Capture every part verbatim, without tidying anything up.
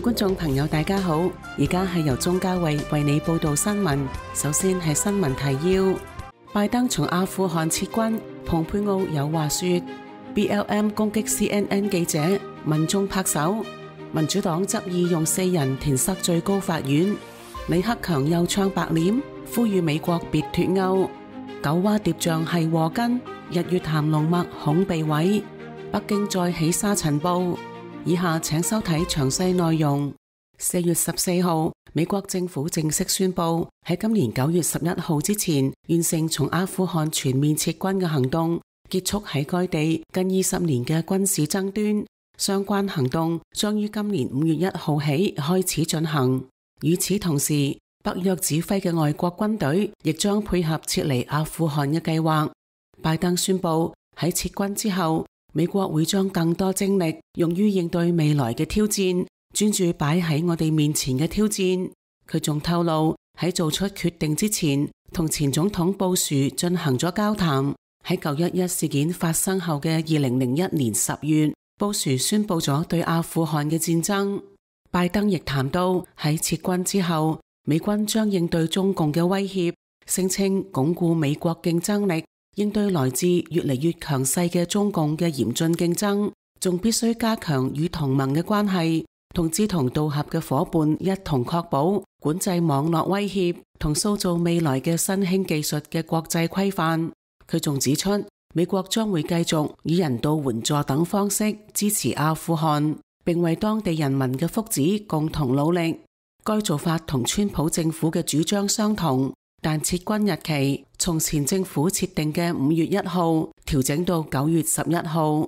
觀眾朋友大家好，而家係由鍾嘉慧為你報道新聞。首先係新聞提要：拜登從阿富汗撤軍，蓬佩奧有話說 ；B L M 攻擊 C N N 記者，民眾拍手。民主黨執意用四人填塞最高法院。李克強又唱白臉，呼籲美國別脫歐。九蛙蝶象係禍根，日月潭龍脈恐被毀。北京再起沙塵暴。以下請收睇詳細內容。四月十四號，美國政府正式宣布喺今年九月十一號之前完成從阿富汗全面撤軍嘅行動，結束喺該地近二十年嘅軍事爭端。相關行動將於今年五月一號起開始進行。與此同時，北約指揮嘅外國軍隊亦將配合撤離阿富汗嘅計劃。拜登宣布喺撤軍之後，美國會將更多精力用於應對未來嘅挑戰，專注擺喺我哋面前嘅挑戰。佢仲透露喺做出決定之前，同前總統布殊進行咗交談。喺九一一事件發生後嘅二零零一年十月，布殊宣布咗對阿富汗嘅戰爭。拜登亦談到喺撤軍之後，美軍將應對中共嘅威脅，聲稱鞏固美國競爭力，應對來自越嚟越強勢嘅中共嘅嚴峻競爭，仲必須加強與同盟嘅關係，同志同道合嘅夥伴一同確保管制網絡威脅同塑造未來嘅新興技術嘅國際規範。佢仲指出，美國將會繼續以人道援助等方式支持阿富汗，並為當地人民嘅福祉共同努力。該做法同川普政府嘅主張相同。但撤軍日期從前政府設定嘅五月一號調整到九月十一號。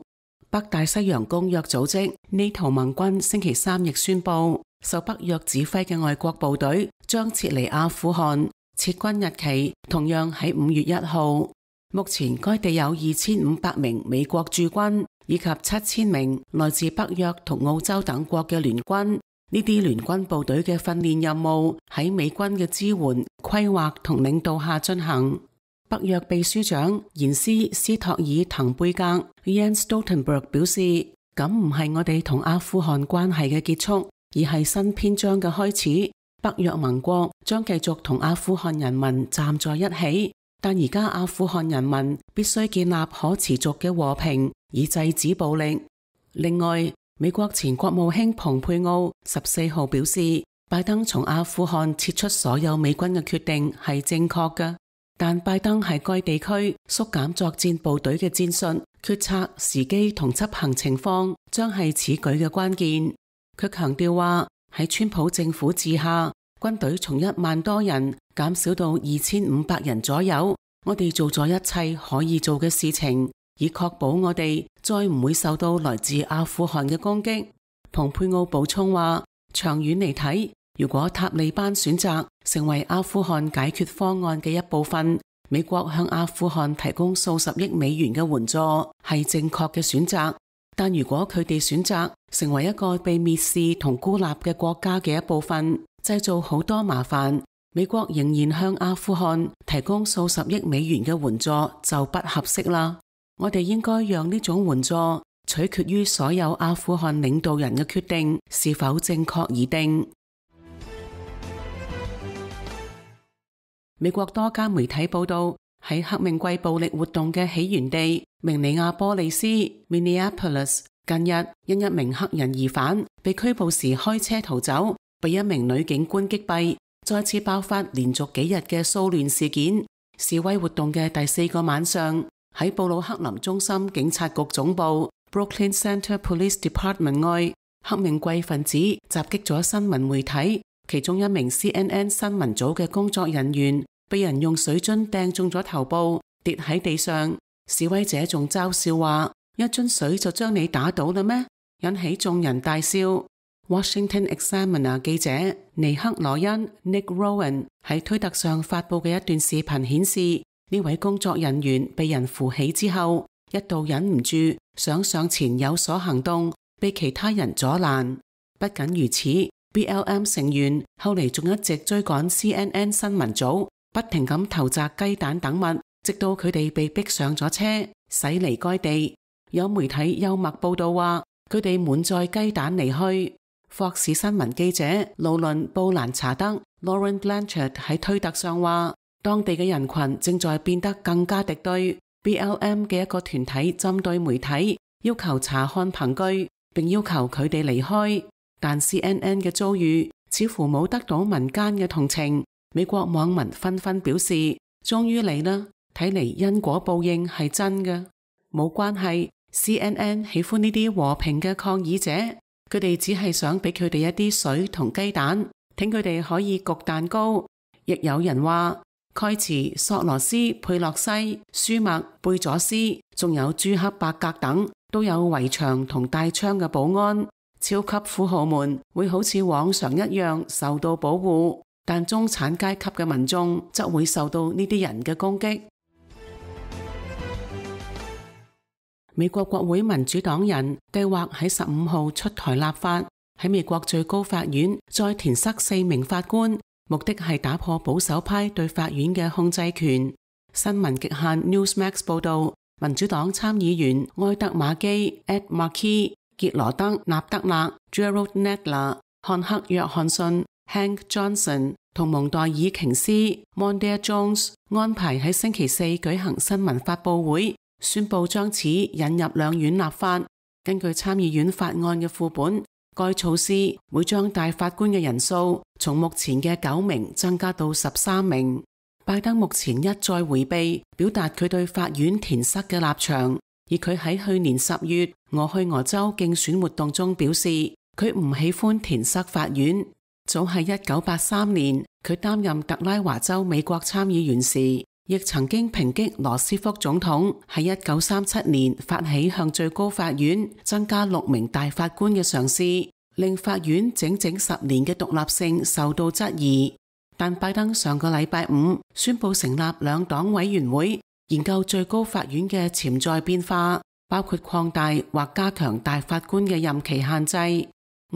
北大西洋公約組織 NATO 盟軍星期三亦宣布，受北約指揮嘅外國部隊將撤離阿富汗，撤軍日期同樣喺五月一號。目前該地有二千五百名美國駐軍，以及七千名來自北約同澳洲等國嘅聯軍。呢啲聯軍部隊嘅訓練任務喺美軍嘅支援、規劃同領導下進行。北約秘書長延斯斯托爾滕貝格 Jens Stoltenberg 表示，咁唔係我哋同阿富汗關係嘅結束，而係新篇章嘅開始。北約盟國將繼續同阿富汗人民站在一起，但而家阿富汗人民必須建立可持續嘅和平，以制止暴力。另外，美國前國務卿蓬佩奧十四號表示，拜登從阿富汗撤出所有美軍嘅決定係正確嘅，但拜登喺該地區縮減作戰部隊嘅戰術、決策、時機同執行情況將係此舉嘅關鍵。佢強調話，喺川普政府治下，軍隊從一萬多人減少到二千五百人左右，我哋做咗一切可以做嘅事情，以確保我哋再唔會受到來自阿富汗嘅攻擊。蓬佩奧補充話，長遠嚟睇，如果塔利班選擇成為阿富汗解決方案嘅一部分，美國向阿富汗提供數十億美元嘅援助係正確嘅選擇。但如果佢哋選擇成為一個被蔑視同孤立嘅國家嘅一部分，製造好多麻煩，美國仍然向阿富汗提供數十億美元嘅援助就不合適啦。我哋應該讓呢種援助取決於所有阿富汗領導人嘅決定是否正確而定。美國多家媒體報道，喺黑命貴暴力活動嘅起源地明尼亞波利斯 （Minneapolis） 近日因一名黑人疑犯被拘捕時開車逃走，被一名女警官擊斃，再次爆發連續幾日嘅騷亂事件。示威活動嘅第四個晚上，喺布魯克林中心警察局總部 Brooklyn Center Police Department 外，黑命貴分子襲擊咗新聞媒體，其中一名 C N N 新聞組嘅工作人員被人用水樽掟中咗頭部，跌喺地上。示威者仲嘲笑話，一樽水就將你打倒啦咩？引起眾人大笑。Washington Examiner 記者尼克羅恩 Nick Rowan 喺推特上發佈嘅一段視頻顯示，呢位工作人員被人扶起之後，一度忍唔住想上前有所行動，被其他人阻攔。不僅如此， B L M 成員後嚟仲一直追趕 C N N 新聞組，不停咁投擲雞蛋等物，直到佢哋被逼上咗車，駛離該地。有媒體幽默報道話，佢哋滿載雞蛋離去。霍士新聞記者勞倫布蘭查德 Lauren Blanchard 喺推特上話，當地嘅人群正在變得更加敵對。B L M 嘅一個團體針對媒體，要求查看憑據，並要求佢哋離開。但 C N N 嘅遭遇似乎冇得到民間嘅同情。美國網民紛紛表示，終於嚟啦，睇嚟因果報應係真嘅。冇關係， C N N 喜歡呢啲和平嘅抗議者，佢哋只係想俾佢哋一啲水同雞蛋，聽佢哋可以焗蛋糕。亦有人話，蓋茨、索羅斯、佩洛西、舒默、貝佐斯，仲有朱克伯格等，都有圍牆同帶槍嘅保安。超級富豪們會好似往常一樣受到保護，但中產階級嘅民眾則會受到呢啲人嘅攻擊。美國國會民主黨人計劃喺十五號出台立法，喺美國最高法院再填塞四名法官，目的係打破保守派對法院嘅控制權。新聞極限 Newsmax 報道，民主黨參議員埃德馬基 Ed Markey、傑羅德納德勒 Gerald Nadler、漢克約翰遜 Hank Johnson 同蒙代爾瓊斯 Mondaire Jones 安排喺星期四舉行新聞發佈會，宣布將此引入兩院立法。根據參議院法案嘅副本，該措施會將大法官嘅人數從目前嘅九名增加到十三名。拜登目前一再回避表達佢對法院填塞嘅立場，而佢喺去年十月俄亥俄州競選活動中表示，佢唔喜歡填塞法院。早喺一九八三年，佢擔任特拉華州美國參議員時，亦曾經抨擊羅斯福總統喺一九三七年發起向最高法院增加六名大法官嘅嘗試，令法院整整十年嘅獨立性受到質疑。但拜登上個禮拜五宣布成立兩黨委員會，研究最高法院嘅潛在變化，包括擴大或加強大法官嘅任期限制。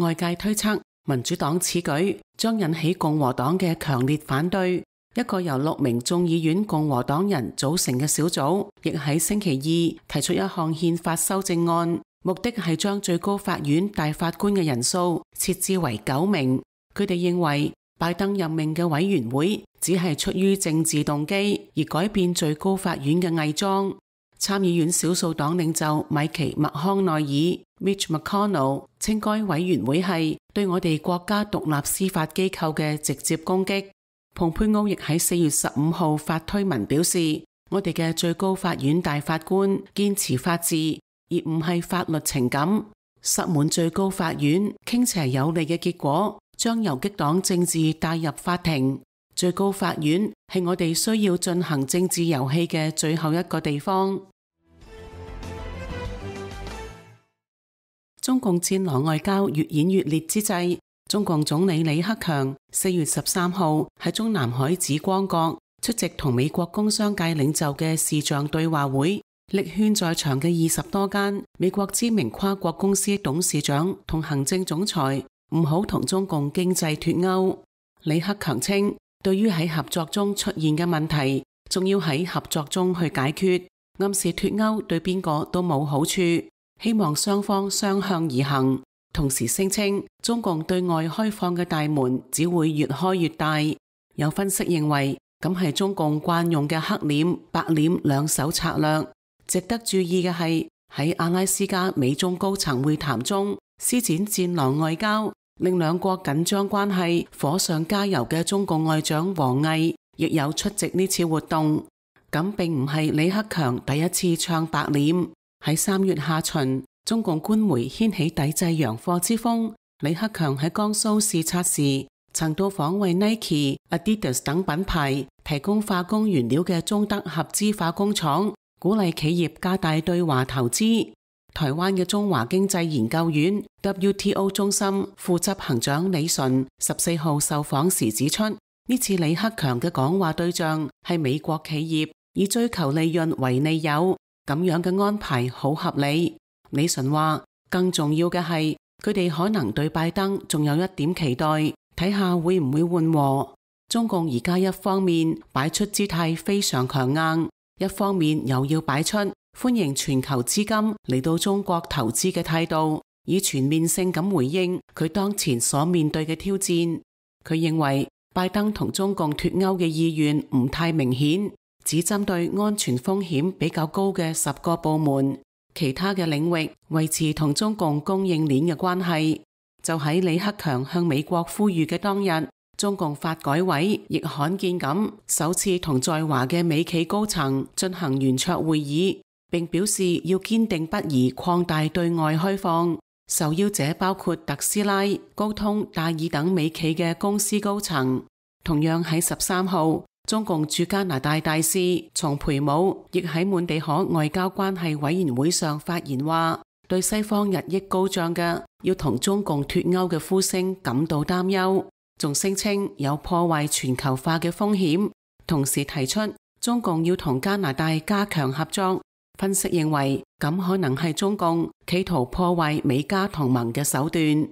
外界推測，民主黨此舉將引起共和黨嘅強烈反對。一個由六名眾議院共和黨人組成嘅小組，亦喺星期二提出一項憲法修正案，目的係將最高法院大法官嘅人數設置為九名。佢哋認為拜登任命嘅委員會只係出於政治動機而改變最高法院嘅偽裝。參議院少數黨領袖米奇麥康奈爾 Mitch McConnell 稱該委員會係對我哋國家獨立司法機構嘅直接攻擊。蓬佩奧亦喺四月十五號發推文表示，我哋嘅最高法院大法官堅持法治，而唔係法律情感。塞滿最高法院傾斜有利嘅結果，將游擊黨政治帶入法庭。最高法院係我哋需要進行政治遊戲嘅最後一個地方。中共戰狼外交越演越烈之際，中共總理李克強四月十三號喺中南海紫光閣出席同美國工商界領袖嘅視像對話會，力勸在場嘅二十多間美國知名跨國公司董事長同行政總裁唔好同中共經濟脫鈎。李克強稱，對於喺合作中出現嘅問題，仲要喺合作中去解決，暗示脫鈎對邊個都冇好處，希望雙方相向而行。同時聲稱，中共對外開放嘅大門只會越開越大。有分析認為，咁係中共慣用嘅黑臉白臉兩手策略。值得注意嘅係，喺阿拉斯加美中高層會談中施展戰狼外交，令兩國緊張關係火上加油嘅中共外長王毅亦有出席呢次活動。咁並唔係李克強第一次唱白臉。喺三月下旬，中共官媒掀起抵制洋貨之風。李克強喺江蘇視察時，曾到訪為 Nike、Adidas 等品牌提供化工原料嘅中德合資化工廠，鼓勵企業加大對華投資。台灣嘅中華經濟研究院 W T O 中心副執行長李淳十四號受訪時指出，呢次李克強嘅講話對象係美國企業，以追求利潤為利誘，咁樣嘅安排好合理。李淳話，更重要嘅係佢哋可能對拜登仲有一點期待，睇下會唔會緩和。中共而家一方面擺出姿態非常強硬，一方面又要擺出歡迎全球資金嚟到中國投資嘅態度，以全面性咁回應佢當前所面對嘅挑戰。佢認為拜登同中共脫鈎嘅意願唔太明顯，只針對安全風險比較高嘅十個部門，其他嘅領域維持同中共供應鏈嘅關係。就喺李克強向美國呼籲嘅當日，中共發改委亦罕見咁首次同在華嘅美企高層進行圓桌會議，並表示要堅定不移擴大對外開放。受邀者包括特斯拉、高通、戴爾等美企嘅公司高層。同樣喺十三號，中共駐加拿大大使叢培武亦喺滿地可外交關係委員會上發言話，對西方日益高漲嘅要同中共脫鈎嘅呼聲感到擔憂，仲聲稱有破壞全球化嘅風險，同時提出中共要同加拿大加強合作。分析認為，咁可能係中共企圖破壞美加同盟嘅手段。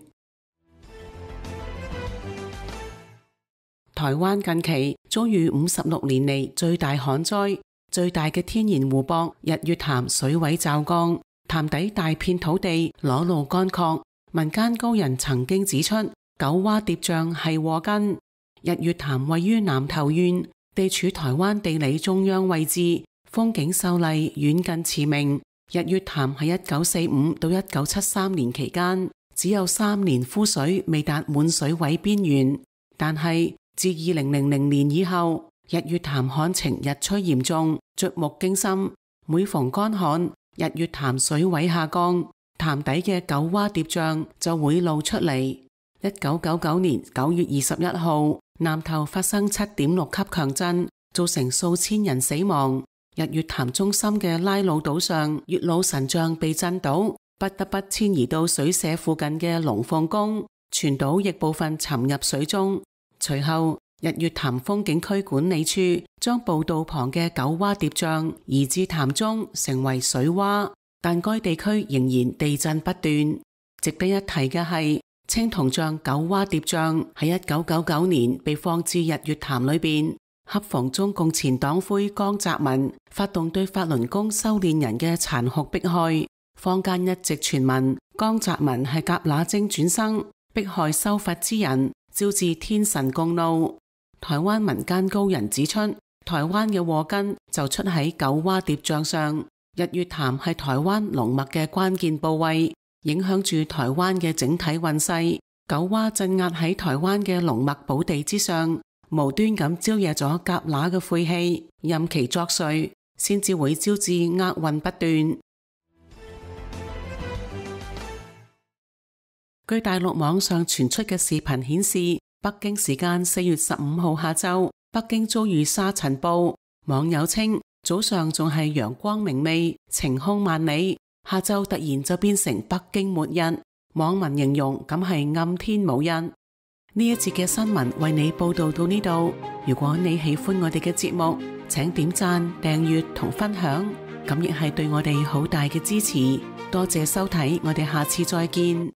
台灣近期遭遇五十六年嚟最大旱災，最大嘅天然湖泊日月潭水位驟降，潭底大片土地裸露乾涸。民間高人曾經指出，九蛙疊嶂係禍根。日月潭位於南投縣，地處台灣地理中央位置，風景秀麗，遠近馳名。日月潭喺一九四五到一九七三年期間，只有三年枯水未達滿水位邊緣。但係自二零零零年以後，日月潭旱情日趨嚴重，觸目驚心。每逢乾旱，日月潭水位下降，潭底嘅九蛙疊嶂就會露出嚟。一九九九年九月二十一號，南投發生七點六級強震，造成數千人死亡。日月潭中心嘅拉魯島上，月老神像被震倒，不得不遷移到水社附近嘅龍鳳宮，全島亦部分沉入水中。隨後，日月潭風景區管理處將步道旁嘅九蛙疊嶂移至潭中，成為水洼，但該地區仍然地震不斷。值得一提嘅係，青銅像九蛙疊嶂喺一九九九年被放置日月潭裏邊。恰逢中共前黨魁江澤民發動對法輪功修煉人嘅殘酷迫害，坊間一直傳聞江澤民係蛤乸精轉生，迫害修佛之人，招致天神共怒。台灣民間高人指出，台灣嘅禍根就出喺九蛙疊嶂上。日月潭係台灣龍脈嘅關鍵部位，影響住台灣嘅整體運勢。九蛙鎮壓喺台灣嘅龍脈寶地之上，無端咁招惹咗蛤乸嘅晦氣，任其作祟，先至會招致厄運不斷。據大陸網上傳出嘅視頻顯示，北京時間四月十五號下晝，北京遭遇沙塵暴。網友稱早上仲係陽光明媚，晴空萬里，下晝突然就變成北京末日。網民形容咁係暗天無日。呢一節嘅新聞為你報道到呢度。如果你喜歡我哋嘅節目，請點讚、訂閱同分享，咁亦係對我哋好大嘅支持。多謝收睇，我哋下次再見。